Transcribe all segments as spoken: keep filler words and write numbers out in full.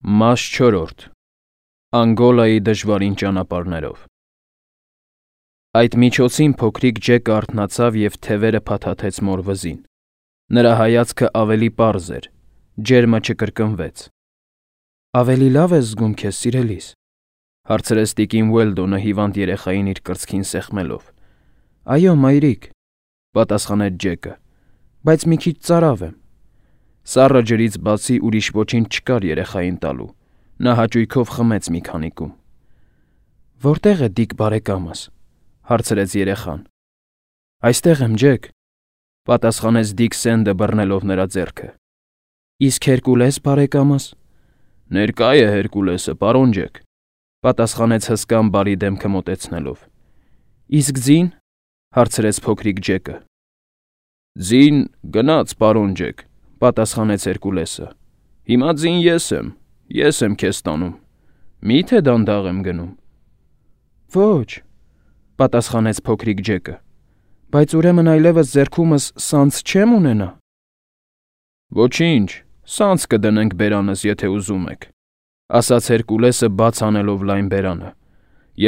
Մաս չորրորդ Անգոլայի դժվարին ճանապարհներով Այդ միջոցին փոքրիկ Ջեկը արթնացավ և թևերը փաթաթեց մոր վզին. Նրա հայացքը ավելի պարզ էր, ջերմը չկրկնվեց։ «Ավելի լավ ես զգում քեզ, սիրելիս,» հարցրեց տիկին Ուելդոնը հիվանդ երեխային իր կրծքին սեղմելով։ «Այո, մայրիկ,» պատասխանեց Ջեկը,- բայց մի քիչ ծարավ եմ։ Սառը ջրից բացի ուրիշ ոչինչ չկար երեխային տալու, նա հաճույքով խմեց մի քանիկում։ «Որտե՞ղ է Դիկ բարեկամս,» հարցրեց երեխան։ «Այստեղ եմ, Ջեք,» պատասխանեց Դիկ Սենդը բռնելով նրա ձեռքը։ «Իսկ Հերկուլես բարեկամս»։ «Ներկա է Հերկուլեսը, պարոն Ջեք,» պատասխանեց հսկան բարի դեմքը մոտեցնելով։ «Իսկ ձին,» հարցրեց փոքրիկ Ջեկը։ «Ձին գնաց, պարոն Ջեք,» պատասխանեց Հերկուլեսը։ «Հիմա ձին ես եմ, ես եմ քեզ տանում, մի՞թե դանդաղ եմ գնում»։ «Ոչ,» պատասխանեց փոքրիկ Ջեկը, «բայց ուրեմն այլևս ձեռքումս սանձ չեմ ունենա»։ «Ոչինչ, սանձ կդնենք բերանս, եթե ուզում եք,» ասաց Հերկուլեսը բաց անելով լայն բերանը,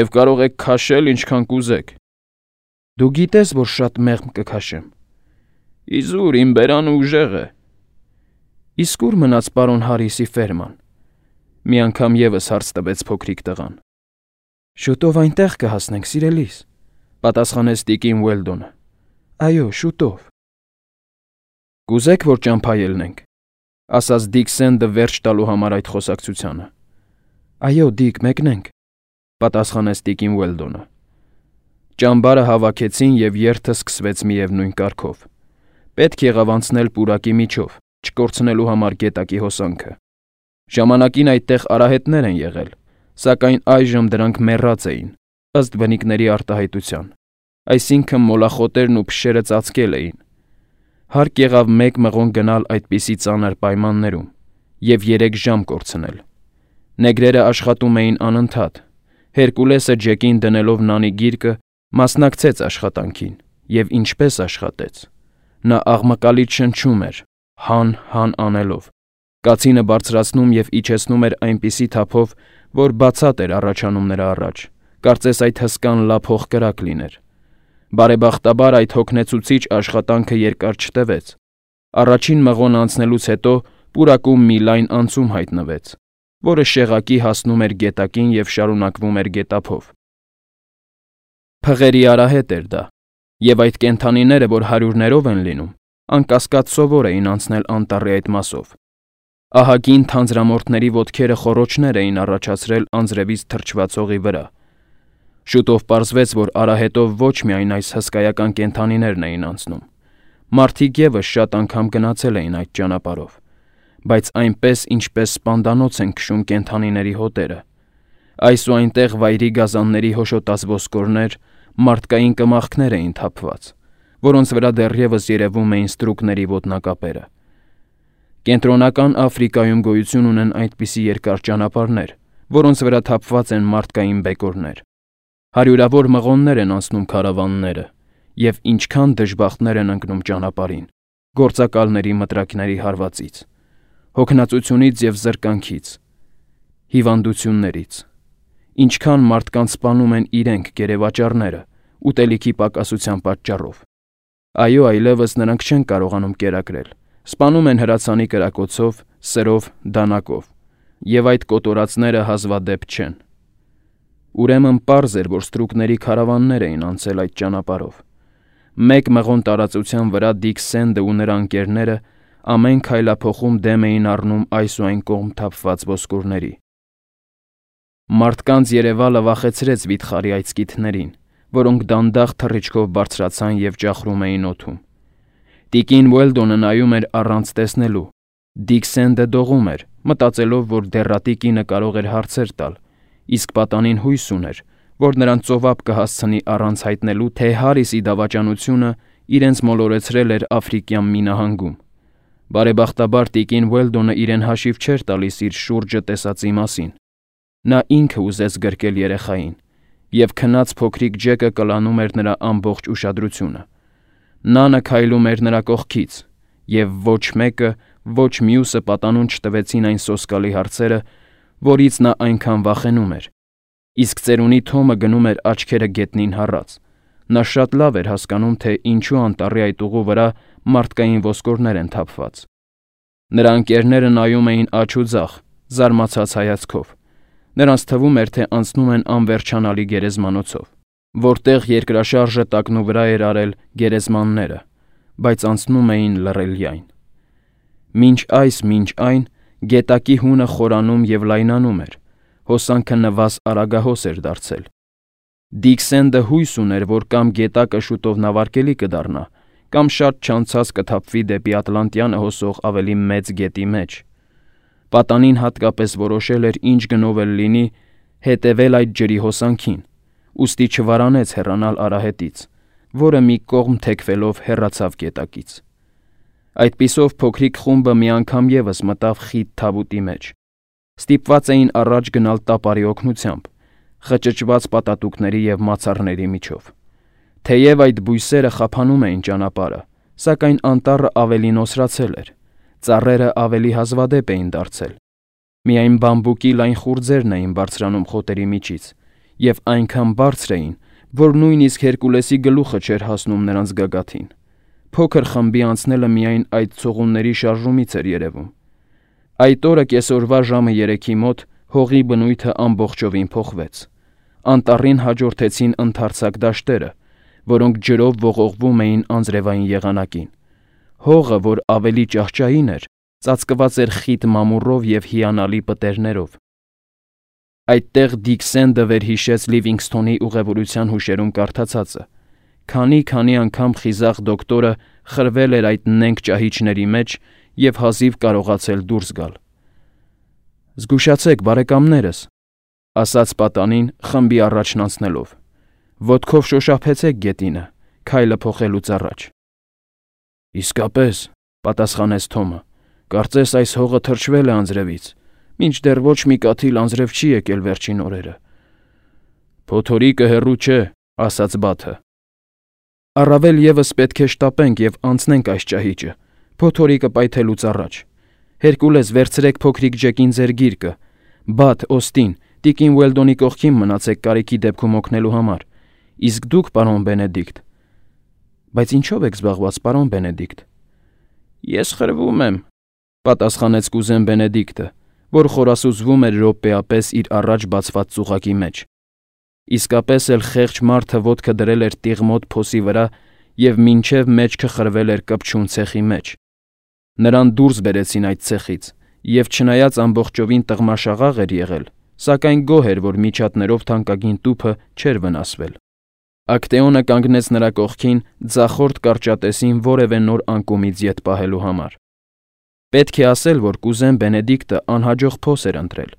«և կարող եք քաշել ինչքան կուզեք»։ «Դու գիտես, որ շատ մեղմ կքաշեմ»։ «Իզուր, իմ բերանը ուժեղ է»։ «Իսկ ո՞ւր մնաց պարոն Հարիսի ֆերման,» մի անգամ ևս հարց տվեց փոքրիկ տղան։ «Շուտով այնտեղ կհասնենք, սիրելիս,» պատասխանեց տիկին Ուելդոնը։ «Այո, շուտով»։ «Կուզե՞ք, որ ճամփա ելնենք,» ասաց Դիկ Սենդը վերջ տալու համար այդ խոսակցությանը։ «Այո, Դիկ, մեկնենք,» պատասխանեց տիկին Ուելդոնը։ Ճամբարը հավաքեցին և երթը սկսվեց միևնույն կարգով։ Պետք եղավ անցնել պուրակի միջով, չկորցնելու համար գետակի հոսանքը։ Ժամանակին այդտեղ արահետներ են եղել, սակայն այժմ դրանք մեռած էին, ըստ բնիկների արտահայտության, այսինքն մոլախոտերն ու փշերը ծածկել էին։ Հարկ եղավ մեկ մղոն գնալ այդպիսի ծանր պայմաններում և երեք ժամ կորցնել։ Նեգրերը աշխատում էին անընդհատ։ Հերկուլեսը Ջեկին դնելով նանի գիրկը, մասնակցեց աշխատանքին և ինչպես աշխատեց։ Նա աղմկալից շնչում էր, հան-հան անելով, կացինը բարձրացնում և իջեցնում էր այնպիսի թափով, որ բացատ էր առաջանում նրա առաջ, կարծես այդ հսկան լափ հողկրակ լիներ։ Բարեբախտաբար այդ հոգնեցուցիչ աշխատանքը երկար չտևեց։ Առաջին մղոնը անցնելուց հետո պուրակում մի լայն անցում հայտնվեց, որը շեղակի հասնում էր գետակին և շարունակվում էր գետափով։ Փղերի արահետ էր դա, և այդ կենդանիները, որ հարյուրներով են լինում, անկասկած սովոր էին անցնել անտառի այդ մասով։ Ահագին թանձրամորթների ոտքերը խոռոչներ էին առաջացրել անձրևից թրջված հողի վրա։ Շուտով պարզվեց, որ արահետով ոչ միայն այս հսկայական կենդանիներն էին անցնում, մարդիկ ևս շատ անգամ գնացել էին այդ ճանապարհով, բայց այնպես, ինչպես սպանդանոց են քշում կենդանիների հոտերը։ Այս ու այնտեղ վայրի գազանների հոշոտած ոսկորներ, մարդկային կմախքներ էին թափված, որոնց վրա դեռևս երևում էին ստրուկների ոտնակապերը։ Կենտրոնական Աֆրիկայում գոյություն ունեն այդպիսի երկար ճանապարհներ, որոնց վրա թափված են մարդկային բեկորներ։ Հարյուրավոր մղոններ են անցնում քարավանները, և ինչքան դժբախտներ են ընկնում ճանապարհին, գործակալների մտրակների հարվածից, հոգնածությունից և զրկանքից, հիվանդություններից, ինչքան մարդկանց սպանում են իրենք գերեվաճառները ուտելիքի պակասության պատճառով։ Այո, այլևս նրանք չեն կարողանում կերակրել, սպանում են հրացանի կրակոցով, սրով, դանակով, և այդ կոտորածները հազվադեպ չեն։ Ուրեմն պարզ էր, որ ստրուկների քարավաններ էին անցել այդ ճանապարհով։ Մեկ մղոն տարածության վրա Դիկ Սենդը ու նրա ընկերները ամեն քայլափոխում դեմ էին առնում այս ու այն կողմ թափված ոսկորների։ Մարդկանց երևալը վախեցրեց վիթխարի այծկիթներին, որոնք դանդաղ թռիչքով բարձրացան և ճախրում էին օդում։ Տիկին Ուելդոնը նայում էր առանց տեսնելու։ Դիկ Սենդը դողում էր, մտածելով, որ դեռատի կինը կարող էր հարցեր տալ, իսկ պատանին հույս ուներ, որ նրան ծովափ կհասցնի առանց հայտնելու, թե Հարիսի դավաճանությունը իրենց մոլորեցրել էր Աֆրիկյան մի նահանգում։ Բարեբախտաբար տիկին Ուելդոնը իրեն հաշիվ չէր տալիս իր շուրջը տեսածի մասին։ Նա ինքը ուզեց գրկել երեխային, և քնած փոքրիկ Ջեկը կլանում էր նրա ամբողջ ուշադրությունը։ Նանը քայլում էր նրա կողքից, և ոչ մեկը, ոչ մյուսը պատանուն չտվեցին այն սոսկալի հարցերը, որից նա այնքան վախենում էր։ Իսկ ծերունի Թոմը գնում էր աչքերը գետնին հառած։ Նա շատ լավ էր հասկանում, թե ինչու անտառի այդ ուղու վրա մարդկային ոսկորներ են թափված։ Նրա ընկերները նայում էին աջ ու ձախ, զարմացած հայացքով։ Նրանց թվում էր, թե անցնում են անվերջանալի գերեզմանոցով, որտեղ երկրաշարժը տակնու վրա էր արել գերեզմանները, բայց անցնում էին լռելյայն։ Մինչ այս, մինչ այն, գետակի հունը խորանում և լայնանում էր, հոսանքը նվազ արագահոս էր դարձել։ Դիքսենդը հույս ուներ, որ կամ գետակը շուտով նավարկելի կդառնա, կամ շատ չանցած կթափվի դեպի Ատլանտյանը հոսող ավելի մեծ գետի մեջ։ Պատանին հատկապես որոշել էր ինչ գնով էլ լինի հետևել այդ ջրի հոսանքին, ուստի չվարանեց հեռանալ արահետից, որը մի կողմ թեքվելով հեռացավ գետակից։ Այդպիսով փոքրիկ խումբը մի անգամ ևս մտավ խիտ թավուտի մեջ։ Ստիպված էին առաջ գնալ տապարի օգնությամբ, խճճված պատատուկների և մացառների միջով։ Թեև այդ բույսերը խափանում էին ճանապարհը, սակայն անտառը ավելի նոսրացել էր, ծառերը ավելի հազվադեպ էին դարձել։ Միայն բամբուկի լայն խուրձերն էին բարձրանում խոտերի միջից, և այնքան բարձր էին, որ նույնիսկ Հերկուլեսի գլուխը չէր հասնում նրանց գագաթին։ Փոքր խմբի անցնելը միայն այդ ցողունների շարժումից էր երևում։ Այդ օրը կեսօրվա ժամը երեքի մոտ հողի բնույթը ամբողջովին փոխվեց։ Անտառին հաջորդեցին ընդարձակ դաշտերը, որոնք ջրով ողողվում էին անձրևային եղանակին։ Հողը, որ ավելի ճահճային էր, ծածկված էր խիտ մամուռով և հիանալի պտերներով։ Այդտեղ Դիքսենդը վերհիշեց Լիվինգսթոնի ուղևորության հուշերում կարդացածը։ Քանի-քանի անգամ խիզախ դոկտորը խրվել էր այդ նենգ ճահիճների մեջ և հազիվ կարողացել դուրս գալ։ «Զգուշացեք, բարեկամներս», ասաց պատանին, խմբի առաջն անցնելով։ «Ոտքով շոշափեցեք գետինը, քայլը փոխելուց առաջ»։ «Իսկապես», պատասխանեց Թոմը, «կարծես այս հողը թրջվել է անձրևից, մինչդեռ ոչ մի կաթիլ անձրև չի եկել վերջին օրերը»։ «Փոթորիկը հեռու չէ», ասաց Բաթը։ «Առավել ևս պետք է շտապենք և անցնենք այս ճահիճը, փոթորիկը պայթելուց առաջ։ Հերկուլես, վերցրեք փոքրիկ Ջեկին ձեր գիրկը։ Բաթ, Օստին, տիկին Ուելդոնի կողքին մնացեք կարիքի դեպքում օգնելու համար։ Իսկ դուք, պարոն Բենեդիկտ»։ «Բայց ինչով եք զբաղված, պարոն Բենեդիկտ»։ «Ես խրվում եմ», պատասխանեց կուզեն Բենեդիկտը, որ խորասուզվում էր րոպեապես իր առաջ բացված ծուղակի մեջ։ Իսկապես էլ խեղճ մարդը ոտքը դրել էր տիղմոտ փոսի վրա և մինչև մեջքը խրվել էր կպչուն ցեխի մեջ։ Նրան դուրս բերեցին այդ ցեխից, և չնայած ամբողջովին տղմաշաղաղ էր եղել, սակայն գոհ էր, որ միջատներով թանկագին տուփը չէր վնասվել։ Ակտեոնը կանգնեց նրա կողքին ձախորդ կարճատեսին որևէ նոր անկումից ետ պահելու համար։ Պետք է ասել, որ կուզեն Բենեդիկտը անհաջող փոս էր ընտրել։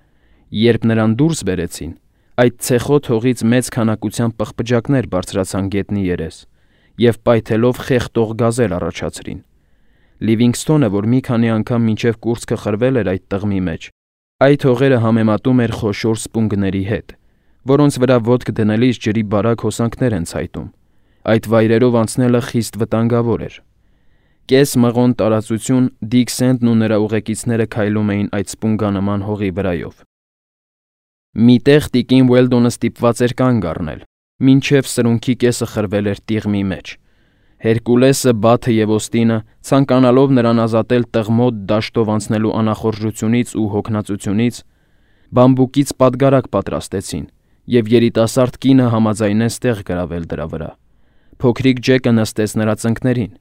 Երբ նրան դուրս բերեցին, այդ ցեխոտ հողից մեծ քանակությամբ պղպջակներ բարձրացան գետնի երես և պայթելով խեղդող գազեր առաջացրին։ Լիվինգսթոնը, որ մի քանի անգամ մինչև կուրծքը խրվել էր այդ տղմի մեջ, այդ հողերը համեմատում էր խոշոր սպունգների հետ, որոնց վրա ոտք դնելիս ջրի բարակ հոսանքներ են ցայտում։ Այդ վայրերով անցնելը խիստ վտանգավոր էր։ Կես մղոն տարածություն Դիքսենդն ու նրա ուղեկիցները քայլում էին այդ սպունգանման հողի վրայով։ Մի տեղ տիկին Ուելդոնը ստիպված էր կանգ առնել, մինչև սրունքի կեսը խրվել էր տիղմի մեջ։ Հերկուլեսը, Բաթը և Օստինը, ցանկանալով նրան ազատել տղմոտ դաշտով անցնելու անախորժությունից ու հոգնածությունից, բամբուկից պատգարակ պատրաստեցին, և երիտասարդ կինը համաձայնեց տեղ գրավել դրա վրա։ Փոքրիկ Ջեկը նստեց նրա ծնկներին,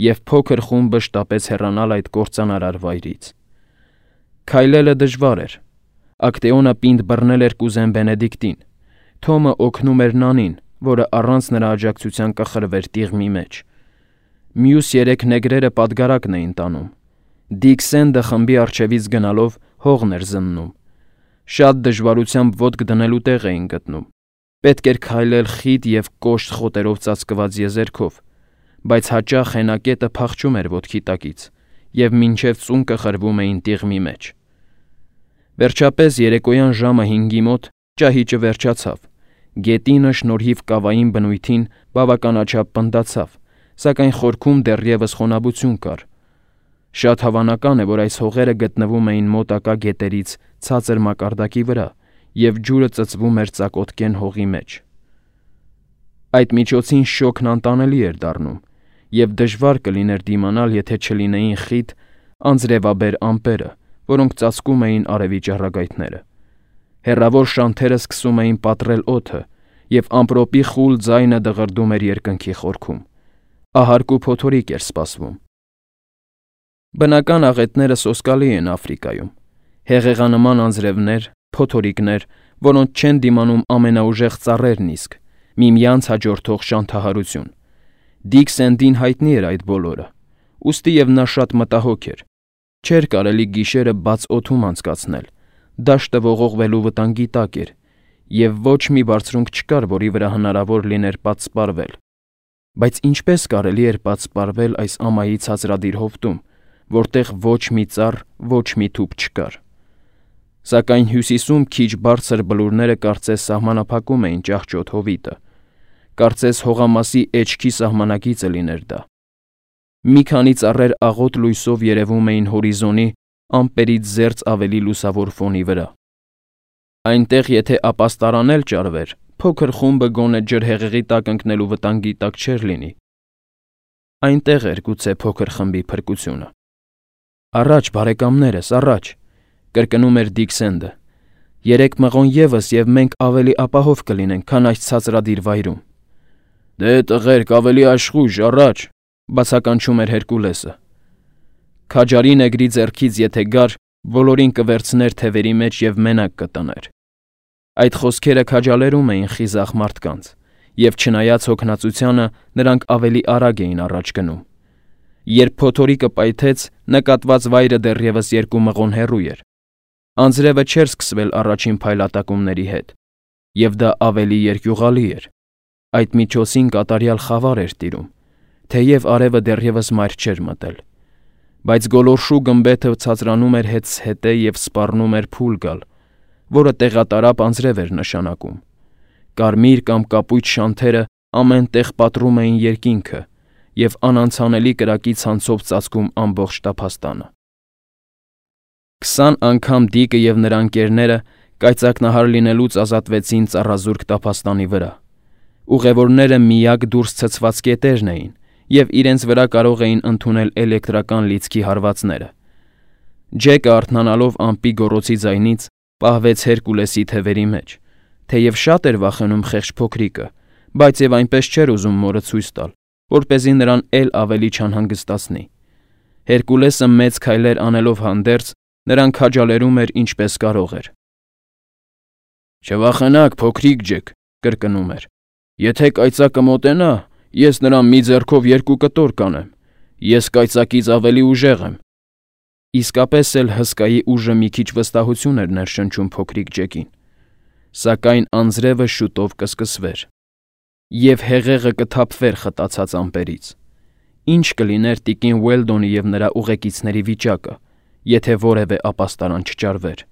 և փոքր խումբը շտապեց հեռանալ այդ կործանարար վայրից։ Քայլելը դժվար էր։ Ակտեոնը պինդ բռնել էր կուզեն Բենեդիկտին։ Թոմը օգնում էր Նանին, որը առանց նրա աջակցության կխրվեր տիղմի մեջ։ Մյուս երեք նեգրերը պատգարակն էին տանում։ Դիքսենդը խմբի առջևից գնալով հողն էր զննում։ Շատ դժվարությամբ ոտք դնելու տեղ էին գտնում։ Պետք էր քայլել խիտ և կոշտ խոտերով ծածկված եզերքով, բայց հաճախ հենակետը փախչում էր ոտքի տակից, և մինչև ծունկը խրվում էին տիղմի մեջ։ Վերջապես երեկոյան ժամը հինգի մոտ ճահիճը վերջացավ։ Գետինը շնորհիվ կավային բնույթին բավականաչափ պնդացավ, սակայն խորքում դեռևս խոնավություն կար։ Շատ հավանական է, որ այս հողերը գտնվում էին մոտակա գետերից ցածր մակարդակի վրա, և ջուրը ծծվում էր ծակոտկեն հողի մեջ։ Այդ միջոցին շոգն անտանելի էր դառնում, և դժվար կլիներ դիմանալ, եթե չլինեին խիտ, անձրևաբեր ամպերը, որոնք ծածկում էին արևի ճառագայթները։ Հեռավոր շանթերը սկսում էին պատռել օդը, և ամպրոպի խուլ ձայնը դղրդում էր երկնքի խորքում։ Ահարկ ու փոթորիկ էր սպասվում։ Բնական աղետները սոսկալի են Աֆրիկայում։ Հեղեղանման անձրևներ, փոթորիկներ, որոնց չեն դիմանում ամենաուժեղ ծառերն իսկ, միմյանց հաջորդող շանթահարություն։ Դիք Սենդին հայտնի էր այդ բոլորը, ուստի և նա շատ մտահոգ էր։ Չէր կարելի գիշերը բաց օդում անցկացնել, դաշտը ողողվելու վտանգի տակ էր, և ոչ մի բարձունք չկար, որի վրա հնարավոր լիներ պատսպարվել։ Բայց ինչպե՞ս կարելի էր պատսպարվել այս ամայի ցածրադիր հովտում, որտեղ ոչ մի ծառ, ոչ մի թուփ չկար։ Սակայն հյուսիսում քիչ բարձր բլուրները կարծես սահմանափակում էին ճահճոտ հովիտը, կարծես հողամասի էջքի սահմանակիցը լիներ դա։ Մի քանի ծառեր աղոտ լույսով երևում էին հորիզոնի ամպերից զերծ ավելի լուսավոր ֆոնի վրա։ Այնտեղ եթե ապաստարան էլ ճարվեր, փոքր խումբը գոնե ջրհեղեղի տակ ընկնելու վտանգի տակ չէր լինի։ Այնտեղ էր գուցե փոքր խմբի փրկությունը։ «Առաջ, բարեկամներս, առաջ», կրկնում էր Դիքսենդը։ «Երեք մղոն ևս, և մենք ավելի ապահով կլինենք, քան այս ցածրադիր վայրում»։ «Դե, տղերք, ավելի աշխույժ, առաջ», բացականչում էր Հերկուլեսը։ Քաջարի նեգրի ձեռքից եթե գար, բոլորին կվերցներ թևերի մեջ և մենակ կտներ։ Այդ խոսքերը քաջալերում էին խիզախ մարդկանց, և չնայած հոգնածությանը, նրանք ավելի արագ էին առաջ գնում։ Երբ փոթորիկը պայթեց, նկատված վայրը դեռևս երկու մղոն հեռու էր։ Անձրևը չէր սկսվել առաջին փայլատակումների հետ, և դա ավելի երկյուղալի էր։ Այդ միջոցին կատարյալ խավար էր տիրում, թեև արևը դեռևս մայր չէր մտել։ Բայց գոլորշու գմբեթը ցածրանում էր հետզհետե և սպառնում էր փուլ գալ, որը տեղատարափ անձրև էր նշանակում։ Կարմիր կամ կապույտ շանթերը ամեն տեղ պատռում էին երկինքը և անանցանելի կրակի ցանցով ծածկում ամբողջ տափաստանը։ Քսան անգամ Դիկը և նրա ընկերները կայծակնահար լինելուց ազատվեցին ծառազուրկ տափաստանի վրա։ Ուղևորները միակ դուրս ցցված կետերն էին, և իրենց վրա կարող էին ընդունել էլեկտրական լիցքի հարվածները։ Ջեկը, արթնանալով ամպի գոռոցի ձայնից, պահվեց Հերկուլեսի թևերի մեջ, թեև շատ էր վախենում խեղճ փոքրիկը, բայց և այնպես չէր ուզում մորը ցույց տալ, որպեսզի նրան էլ ավելի չանհանգստացնի։ Հերկուլեսը մեծ քայլեր անելով հանդերձ, նրան քաջալերում էր ինչպես կարող էր։ «Չվախենաք, փոքրիկ ջք», կրկնում էր։ «Եթե կայծակը մոտենա, ես նրան մի ձեռքով երկու կտոր կանեմ։ Ես կայծակից ավելի ուժեղ եմ»։ Իսկապես էլ հսկայի ուժը մի քիչ վստահություն էր ներշնչում փոքրիկ ջեկին։ Սակայն անձրևը շուտով կսկսվեր, և հեղեղը կթափվեր խտացած ամպերից։ Ինչ կլիներ տիկին Ուելդոնի և նրա ուղեկիցների վիճակը, եթե որևէ ապաստարան չճարվեր։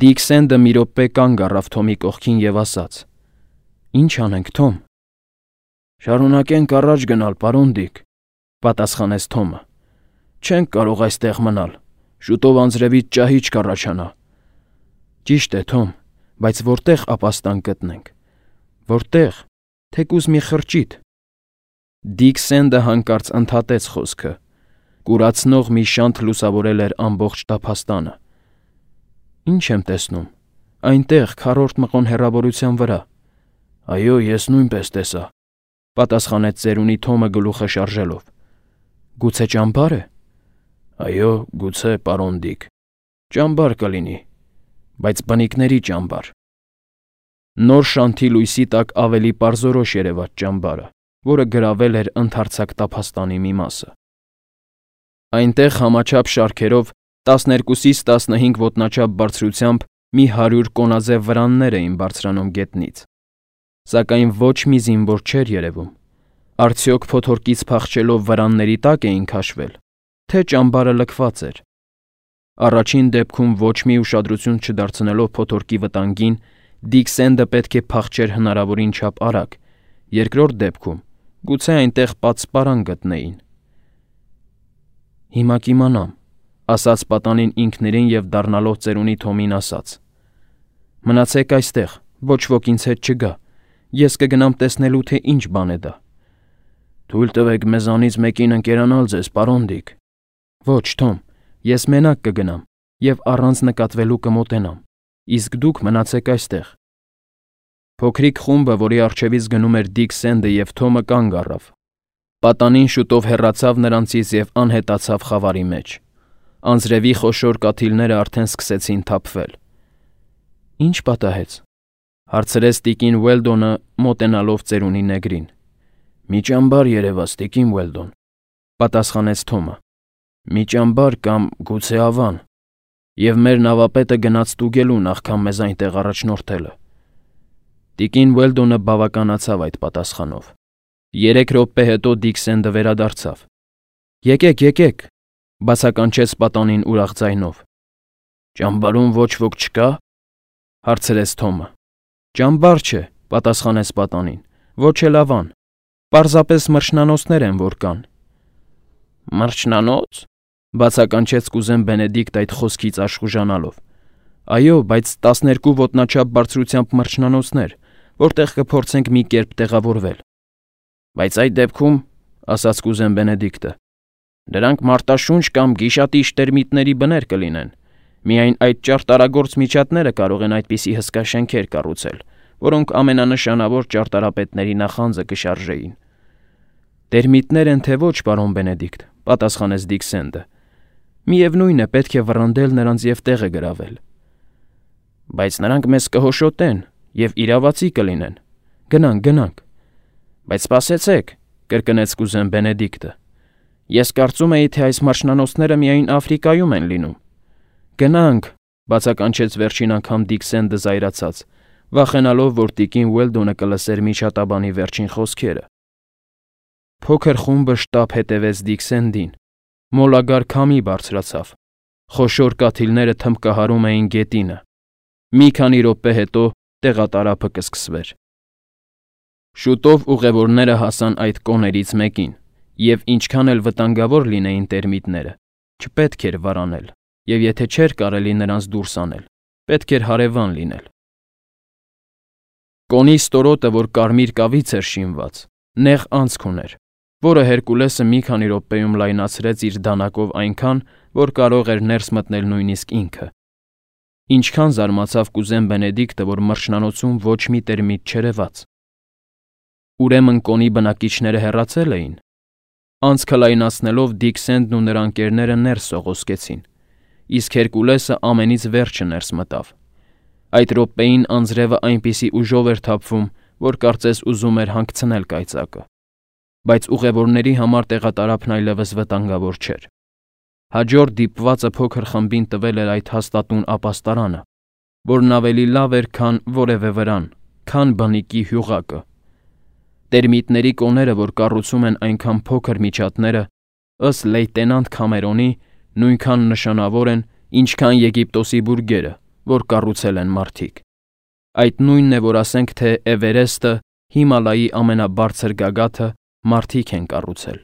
Դիկ Սենդը մի րոպե կանգ առավ Թոմի կողքին և ասաց. «Ինչ անենք, Թոմ»։ «Շարունակենք առաջ գնալ, պարոն Դիկ», պատասխանեց Թոմը։ «Չենք կարող այստեղ մնալ, շուտով անձրևից ճահիճ կառաջանա»։ «Ճիշտ է, Թոմ, բայց որտե՞ղ ապաստան գտնենք։ Որտե՞ղ, թեկուզ մի խրճիթ»։ Դիկ Սենդը հանկարծ ընդհատեց խոսքը։ Կուրացնող մի շանթ լուսավորել էր ամբողջ տափաստանը։ «Ինչ եմ տեսնում, այնտեղ, քառորդ մղոն հեռավորության վրա»։ «Այո, ես նույնպես տեսա», պատասխանեց ծերունի Թոմը գլուխը շարժելով։ «Գուցե ճամբա՞ր է»։ «Այո, գուցե, պարոն Դիկ, ճամբար կլինի, բայց բնիկների ճամբար»։ Նոր շանթի լույսի տակ ավելի պարզորոշ երևաց ճամբարը, որը գրավել էր ընդարձակ տափաստանի մի մասը։ Այնտեղ համաչափ շարքերով տասներկուսից տասնհինգ ոտնաչափ բարձրությամբ մի հարյուր կոնաձև վրաններ էին բարձրանում գետնից։ Սակայն ոչ մի զինվոր չէր երևում։ Արդյոք փոթորկից փախչելով վրանների տակ էին քաշվել, թե ճամբարը լքված էր։ Առաջին դեպքում ոչ մի ուշադրություն չդարձնելով փոթորկի վտանգին, Դիկ Սենդը պետք է փախչեր հնարավորին չափ արագ, երկրորդ դեպքում գուցե այնտեղ պատսպարան գտնեին։ Հիմա կիմանամ, ասաց պատանին ինքներին և դառնալով ծերունի Թոմին ասաց. Մնացեք այստեղ, ոչ ոք ինձ հետ չգա, ես կգնամ տեսնելու, թե ինչ բան է դա։ Թույլ տվեք մեզանից մեկին ընկերանալ ձեզ, պարոն Դիկ։ Ոչ, Թոմ, ես մենակ կգնամ և առանց նկատվելու կմոտենամ, իսկ դուք մնացեք այստեղ։ Փոքրիկ խումբը, որի առջևից գնում էր Դիկ Սենդը և Թոմը կանգ առավ։ Պատանին շուտով հեռացավ նրանցից և անհետացավ խավարի մեջ։ Անձրևի խոշոր կաթիլները արդեն սկսեցին թափվել։ Ինչ պատահեց, հարցրեց տիկին Ուելդոնը, մոտենալով ծերունի նեգրին։ Մի ճամբար երևաց, տիկին Ուելդոն, պատասխանեց Թոմը։ Մի ճամբար կամ գուցե ավան, և մեր նավապետը գնաց ստուգելու նախքան մեզ այնտեղ առաջնորդելը։ Տիկին Ուելդոնը բավականացավ այդ պատասխանով։ Երեք րոպե հետո Դիկ Սենդը վերադարձավ։ Եկեք, եկեք, բացականչեց պատանին ուրախ ձայնով։ Ճամբարում ոչ ոք չկա, հարցրեց Թոմը։ Ճամբար չէ, պատասխանեց պատանին, ոչ էլ ավան, պարզապես մրջնանոցներ են, որ կան։ Մրջնանոց, բացականչեց կուզեն Բենեդիկտ այդ խոսքից աշխուժանալով։ Այո, բայց տասներկու ոտնաչափ բարձրությամբ մրջնանոցներ, որտեղ կփորձենք մի կերպ տեղավորվել։ Բայց այդ դեպքում, ասաց կուզեն Բենեդիկտը, դրանք մարտաշունչ կամ գիշատիչ տերմիտների բներ կլինեն։ Միայն այդ ճարտարագործ միջատները կարող են այդպիսի հսկա շենքեր կառուցել, որոնք ամենանշանավոր ճարտարապետների նախանձը կշարժեին։ Տերմիտներ են թե ոչ, պարոն Բենեդիկտ, պատասխանեց Դիկ Սենդը։ Միևնույն է, պետք է վռնդել նրանց և տեղը գրավել։ Բայց նրանք մեզ կհոշոտեն և իրավացի կլինեն։ Գնանք, գնանք։ Բայց սպասեցեք, կրկնեց կուզեն Բենեդիկտը։ Ես կարծում էի, թե այս մրջնանոցները միայն Աֆրիկայում են լինում։ Գնանք, բացականչեց վերջին անգամ Դիկ Սենդը զայրացած, վախենալով, որ տիկին Ուելդոնը կլսեր միջատաբանի վերջին խոսքերը։ Փոքր խումբը շտապ հետևեց Դիկ Սենդին։ Մոլագար քամի բարձրացավ։ Խոշոր կաթիլները թմբկահարում էին գետինը։ Մի քանի րոպե հետո տեղատարափը կսկսվեր։ Շուտով ուղևորները հասան այդ կոներից մեկին, և ինչքան էլ վտանգավոր լինեին տերմիտները, չպետք էր վարանել, և եթե չէր կարելի նրանց դուրս անել, պետք էր հարևան լինել։ Կոնի ստորոտը, որ կարմիր կավից էր շինված, նեղ անցք ուներ, որը Հերկուլեսը մի քանի րոպեում լայնացրեց իր դանակով այնքան, որ կարող էր ներս մտնել նույնիսկ ինքը։ Ինչքան զարմացավ կուզեն Բենեդիկտը, որ մրջնանոցում ոչ մի տերմիտ չերևաց։ Ուրեմն կոնի բնակիչները հեռացել էին։ Անցքը լայնացնելով Դիկ Սենդն ու նրա ընկերները ներս սողոսկեցին, իսկ Հերկուլեսը ամենից վերջը ներս մտավ։ Այդ րոպեին անձրևը այնպիսի ուժով էր թափվում, որ կարծես ուզում էր հանգցնել կայծակը։ Բայց ուղևորների համար տեղատարափն այլևս վտանգավոր չէր։ Հաջորդ դիպվածը փոքր խմբին տվել էր այդ հաստատուն ապաստարանը, որն ավելի լավ էր, քան որևէ վրան, քան բնիկի հյուղակը։ Տերմիտների կոները, որ կառուցում են այնքան փոքր միջատները, ըստ լեյտենանտ Քամերոնի, նույնքան նշանավոր են, ինչքան Եգիպտոսի բուրգերը, որ կառուցել են մարդիկ։ Այդ նույնն է, որ ասենք, թե Էվերեստը, Հիմալայի ամենաբարձր գագաթը մարդիկ են կառուցել։